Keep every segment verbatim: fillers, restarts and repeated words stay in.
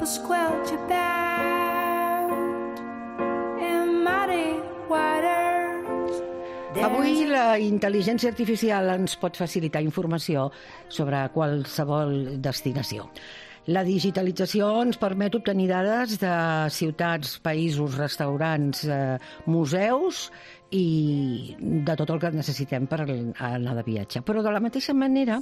squelch about in muddy waters. Avui la intel·ligència artificial ens pot facilitar informació sobre qualsevol destinació. La digitalització ens permet obtenir dades de ciutats, països, restaurants, eh, museus i de tot el que necessitem per anar de viatge. Però de la mateixa manera,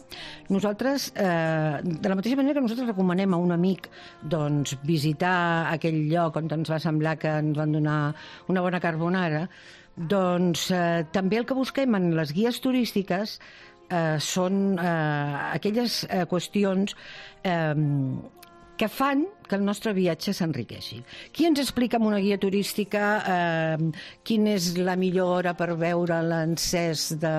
nosaltres, eh, de la mateixa manera que nosaltres recomanem a un amic doncs, visitar aquell lloc on ens va semblar que ens van donar una bona carbonara, doncs eh, també el que busquem en les guies turístiques eh, són eh, aquelles eh, qüestions eh, que fan que el nostre viatge s'enriqueixi. Qui ens explica en una guia turística eh, quina és la millor hora per veure l'encès de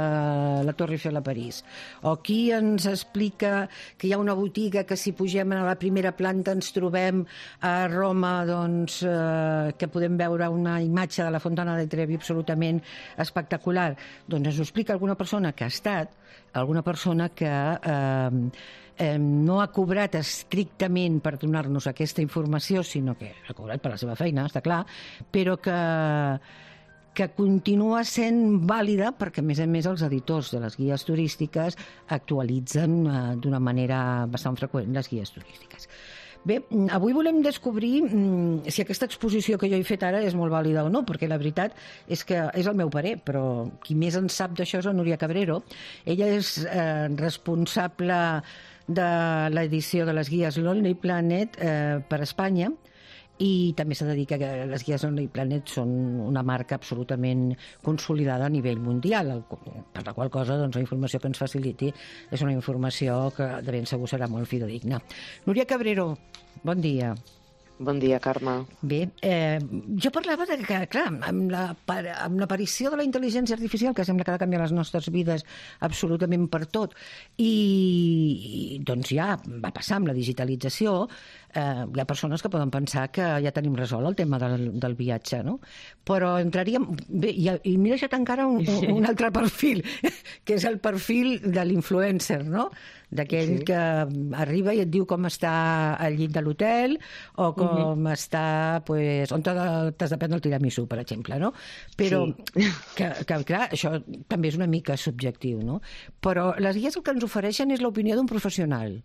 la Torre Eiffel a París? O qui ens explica que hi ha una botiga que si pugem a la primera planta ens trobem a Roma, doncs, eh, que podem veure una imatge de la Fontana de Trevi absolutament espectacular? Doncs ens ho explica alguna persona que ha estat, alguna persona que eh, eh, no ha cobrat estrictament per donar-nos aquesta informació, sinó que ha cobrat per la seva feina, està clar, però que, que continua sent vàlida perquè, a més a més, els editors de les guies turístiques actualitzen eh, d'una manera bastant freqüent les guies turístiques. Bé, avui volem descobrir mm, si aquesta exposició que jo he fet ara és molt vàlida o no, perquè la veritat és que és el meu parer, però qui més en sap d'això és la Núria Cabrero. Ella és eh, responsable de l'edició de les guies Lonely Planet eh, per Espanya, i també s'ha de dir que les guies Lonely Planet són una marca absolutament consolidada a nivell mundial, per la qual cosa doncs, la informació que ens faciliti és una informació que de ben segur serà molt fidedigna. Núria Cabrero, bon dia. Bon dia, Carme. Bé, eh, jo parlava de que, clar, amb la, amb l'aparició de la intel·ligència artificial, que sembla que ha de canviar les nostres vides absolutament per tot, i, i doncs ja va passar amb la digitalització, eh, hi ha persones que poden pensar que ja tenim resolt el tema del, del viatge, no? Però entraríem... Bé, i, i m'he deixat encara un, un altre perfil, que és el perfil de l'influencer, no? D'aquell sí. que arriba i et diu com està al llit de l'hotel o com uh-huh. està, pues, on t'has de prendre el tiramisú, per exemple, no? Però, sí. que, que, clar, això també és una mica subjectiu, no? Però les guies el que ens ofereixen és l'opinió d'un professional.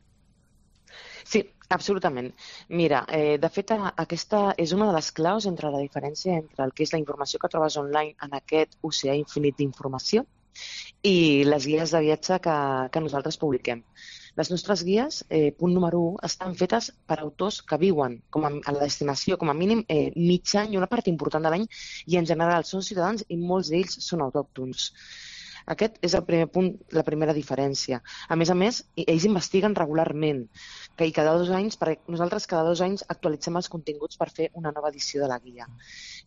Sí, absolutament. Mira, eh, de fet, aquesta és una de les claus entre la diferència entre el que és la informació que trobes online en aquest oceà infinit d'informació i les guies de viatge que, que nosaltres publiquem. Les nostres guies, eh, punt número u, estan fetes per autors que viuen com a, a la destinació com a mínim eh, mig any, una part important de l'any, i en general són ciutadans i molts d'ells són autòctons. Aquest és el primer punt, la primera diferència. A més a més, ells investiguen regularment, que i cada dos anys, perquè nosaltres cada dos anys actualitzem els continguts per fer una nova edició de la guia.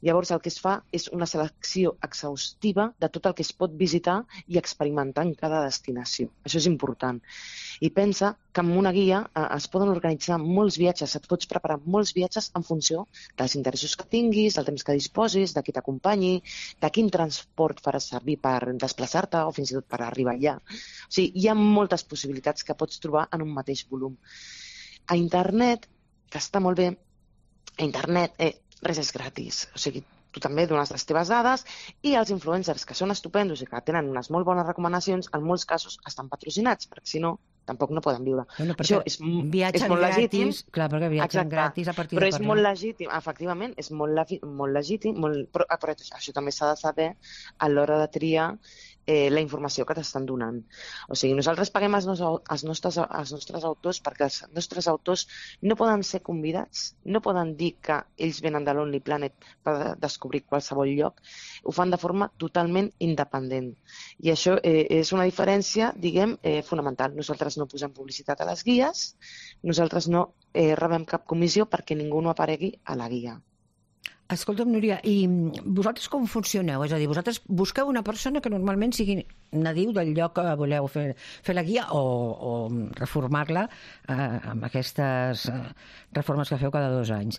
Llavors el que es fa és una selecció exhaustiva de tot el que es pot visitar i experimentar en cada destinació. Això és important. I pensa que amb una guia eh, es poden organitzar molts viatges, et pots preparar molts viatges en funció dels interessos que tinguis, del temps que disposis, de qui t'acompanyi, de quin transport faràs servir per desplaçar-te o fins i tot per arribar allà. O sigui, hi ha moltes possibilitats que pots trobar en un mateix volum. A internet, que està molt bé, a internet eh, res és gratis. O sigui, tu també dones les teves dades i els influencers, que són estupendos i que tenen unes molt bones recomanacions, en molts casos estan patrocinats, perquè si no, tampoc no poden viure. Bueno, això és, és molt gratis, legítim. Clar, perquè viatgen Exacte. gratis a partir però de és molt legítim, efectivament, és molt, molt legítim, molt, però, però això també s'ha de saber a l'hora de triar eh, la informació que t'estan donant. O sigui, nosaltres paguem els, nos, els, nostres, els nostres autors perquè els nostres autors no poden ser convidats, no poden dir que ells venen de Lonely Planet per descobrir qualsevol lloc, ho fan de forma totalment independent. I això eh, és una diferència, diguem, eh, fonamental. Nosaltres no posem publicitat a les guies, nosaltres no eh, rebem cap comissió perquè ningú no aparegui a la guia. Escolta'm, Núria, i vosaltres com funcioneu? És a dir, vosaltres busqueu una persona que normalment sigui nadiu del lloc que voleu fer, fer la guia o, o reformar-la eh, amb aquestes eh, reformes que feu cada dos anys.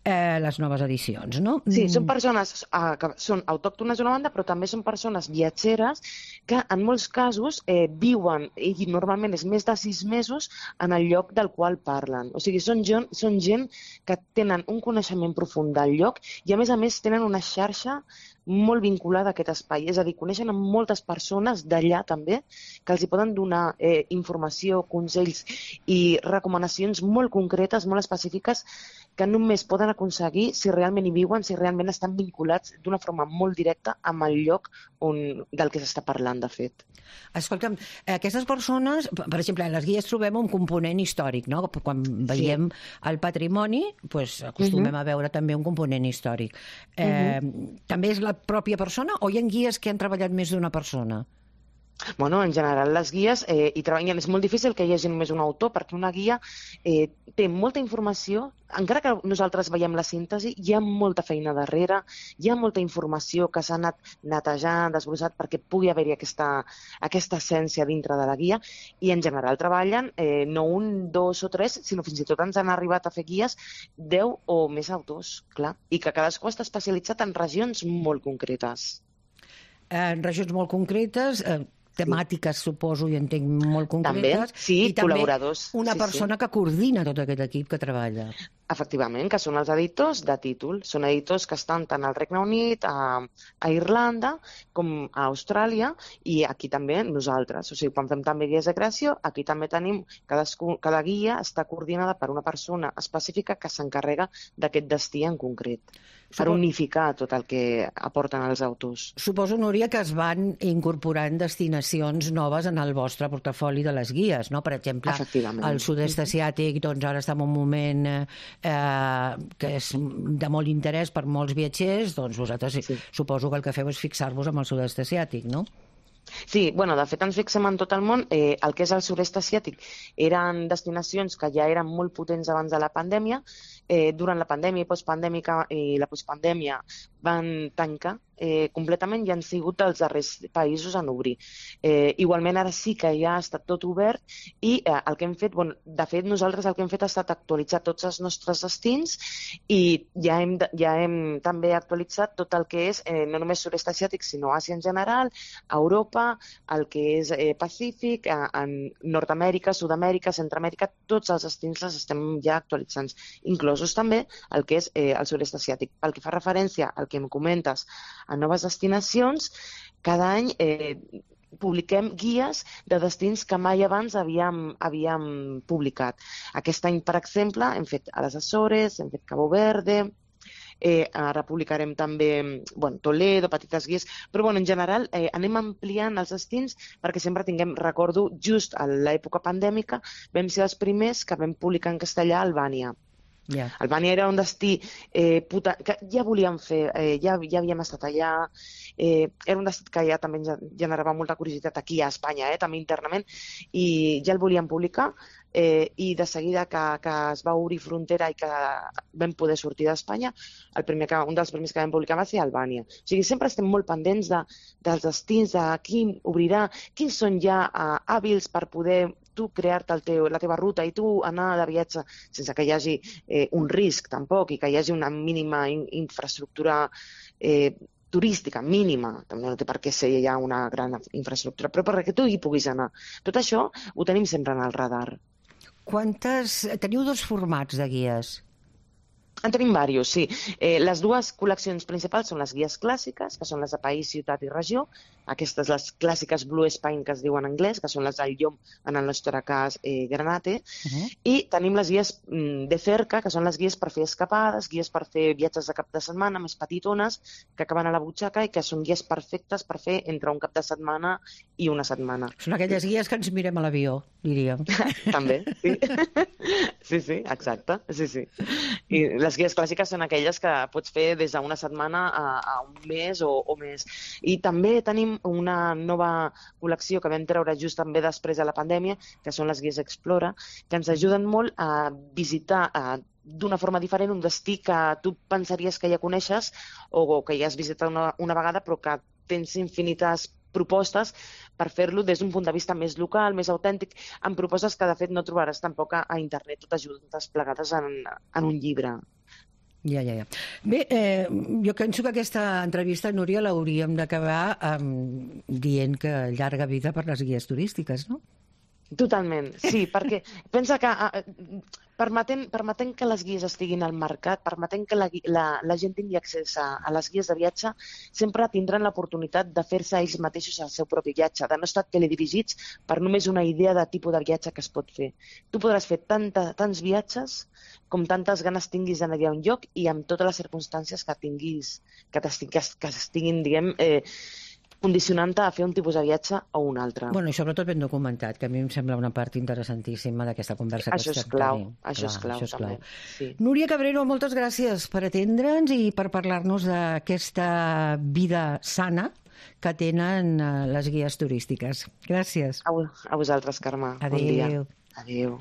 eh, les noves edicions, no? Sí, són persones eh, que són autòctones d'una banda, però també són persones viatgeres que en molts casos eh, viuen, i normalment és més de sis mesos, en el lloc del qual parlen. O sigui, són gent, són gent que tenen un coneixement profund del lloc i, a més a més, tenen una xarxa molt vinculada a aquest espai. És a dir, coneixen a moltes persones d'allà també que els hi poden donar eh, informació, consells i recomanacions molt concretes, molt específiques, que només poden aconseguir si realment hi viuen, si realment estan vinculats d'una forma molt directa amb el lloc on, del que s'està parlant, de fet. Escolta'm, aquestes persones, per exemple, en les guies trobem un component històric, no? Quan veiem sí. el patrimoni, doncs acostumem uh-huh. a veure també un component històric. Eh, uh-huh. També és la pròpia persona o hi ha guies que han treballat més d'una persona? Bueno, en general, les guies eh, hi treballen. És molt difícil que hi hagi només un autor, perquè una guia eh, té molta informació. Encara que nosaltres veiem la síntesi, hi ha molta feina darrere, hi ha molta informació que s'ha anat netejant, desbrossat, perquè pugui haver-hi aquesta, aquesta essència dintre de la guia. I en general treballen eh, no un, dos o tres, sinó fins i tot ens han arribat a fer guies deu o més autors, clar. I que cadascú està especialitzat en regions molt concretes. En regions molt concretes... Eh... temàtiques, sí. suposo, i entenc molt concretes. També, sí, i també col·laboradors. Una sí, persona sí. que coordina tot aquest equip que treballa. Efectivament, que són els editors de títol. Són editors que estan tant al Regne Unit, a, a Irlanda, com a Austràlia, i aquí també nosaltres. O sigui, quan fem també guies de creació, aquí també tenim, cadascú, cada guia està coordinada per una persona específica que s'encarrega d'aquest destí en concret, per Suposo... unificar tot el que aporten els autors. Suposo, Núria, que es van incorporant destinacions noves en el vostre portafoli de les guies, no? Per exemple, el sud-est asiàtic, doncs ara està en un moment eh, que és de molt interès per molts viatgers, doncs vosaltres sí. suposo que el que feu és fixar-vos amb el sud-est asiàtic, no? Sí, bueno, de fet ens fixem en tot el món. Eh, el que és el sud-est asiàtic eren destinacions que ja eren molt potents abans de la pandèmia. Eh, durant la pandèmia i postpandèmica i la postpandèmia van tancar eh, completament i han sigut els darrers països en obrir. Eh, igualment ara sí que ja ha estat tot obert i eh, el que hem fet, bueno, de fet nosaltres el que hem fet ha estat actualitzar tots els nostres destins i ja hem, ja hem també actualitzat tot el que és eh, no només sud-est asiàtic sinó Àsia en general, Europa, el que és eh, Pacífic, eh, en Nord-Amèrica, Sud-amèrica, Centroamèrica, tots els destins els estem ja actualitzant, inclosos també el que és eh, el sud-est asiàtic. Pel que fa referència al que em comentes a noves destinacions, cada any eh, publiquem guies de destins que mai abans havíem, havíem publicat. Aquest any, per exemple, hem fet a les Açores, hem fet Cabo Verde, Eh, ara publicarem també bueno, Toledo, petites guies, però bueno, en general eh, anem ampliant els destins perquè sempre tinguem, recordo, just a l'època pandèmica vam ser els primers que vam publicar en castellà a Albània. Yeah. Albània era un destí eh, puta, que ja volíem fer, eh, ja, ja havíem estat allà, eh, era un destí que ja també ens generava molta curiositat aquí a Espanya, eh, també internament, i ja el volíem publicar. Eh, i de seguida que, que es va obrir frontera i que vam poder sortir d'Espanya, el primer que, un dels primers que vam publicar va ser Albània. O sigui, sempre estem molt pendents de, dels destins, de quin obrirà, quins són ja uh, hàbils per poder tu crear-te el teu, la teva ruta i tu anar de viatge sense que hi hagi eh, un risc tampoc i que hi hagi una mínima in, infraestructura eh, turística mínima, també no té per què ser ja una gran infraestructura, però perquè tu hi puguis anar. Tot això ho tenim sempre en el radar. Quantes... Teniu dos formats de guies? En tenim diversos, sí. Eh, les dues col·leccions principals són les guies clàssiques, que són les de país, ciutat i regió. Aquestes, les clàssiques Blue Spine, que es diuen en anglès, que són les del llom, en el nostre cas, eh, Granate. Uh-huh. I tenim les guies mm, de cerca, que són les guies per fer escapades, guies per fer viatges de cap de setmana, més petitones, que acaben a la butxaca i que són guies perfectes per fer entre un cap de setmana i una setmana. Són aquelles guies que ens mirem a l'avió, diríem. També, sí. Sí, sí, exacte. Sí, sí. I les guies clàssiques són aquelles que pots fer des d'una setmana a, a un mes o, o més. I també tenim una nova col·lecció que vam treure just també després de la pandèmia, que són les guies Explora, que ens ajuden molt a visitar a, d'una forma diferent un destí que tu pensaries que ja coneixes o que ja has visitat una, una vegada, però que tens infinites propostes per fer-lo des d'un punt de vista més local, més autèntic, amb propostes que de fet no trobaràs tampoc a, a internet totes juntes plegades en, en un llibre. Ja, ja, ja. Bé, eh, jo penso que aquesta entrevista, Núria, l'hauríem d'acabar um, dient que llarga vida per les guies turístiques, no? Totalment, sí, perquè pensa que eh, permetent, permetent que les guies estiguin al mercat, permetent que la, la, la gent tingui accés a, a les guies de viatge, sempre tindran l'oportunitat de fer-se ells mateixos el seu propi viatge, de no estar teledirigits per només una idea de tipus de viatge que es pot fer. Tu podràs fer tanta, tants viatges com tantes ganes tinguis d'anar a un lloc i amb totes les circumstàncies que tinguis, que, que, que estiguin, diguem, eh, condicionant-te a fer un tipus de viatge o un altre. Bueno, i sobretot ben documentat, que a mi em sembla una part interessantíssima d'aquesta conversa que això estem és clau, tenint. això és clau, això és clau. també. Sí. Núria Cabrero, moltes gràcies per atendre'ns i per parlar-nos d'aquesta vida sana que tenen les guies turístiques. Gràcies. A, a vosaltres, Carme. Adéu. Bon dia. Adéu.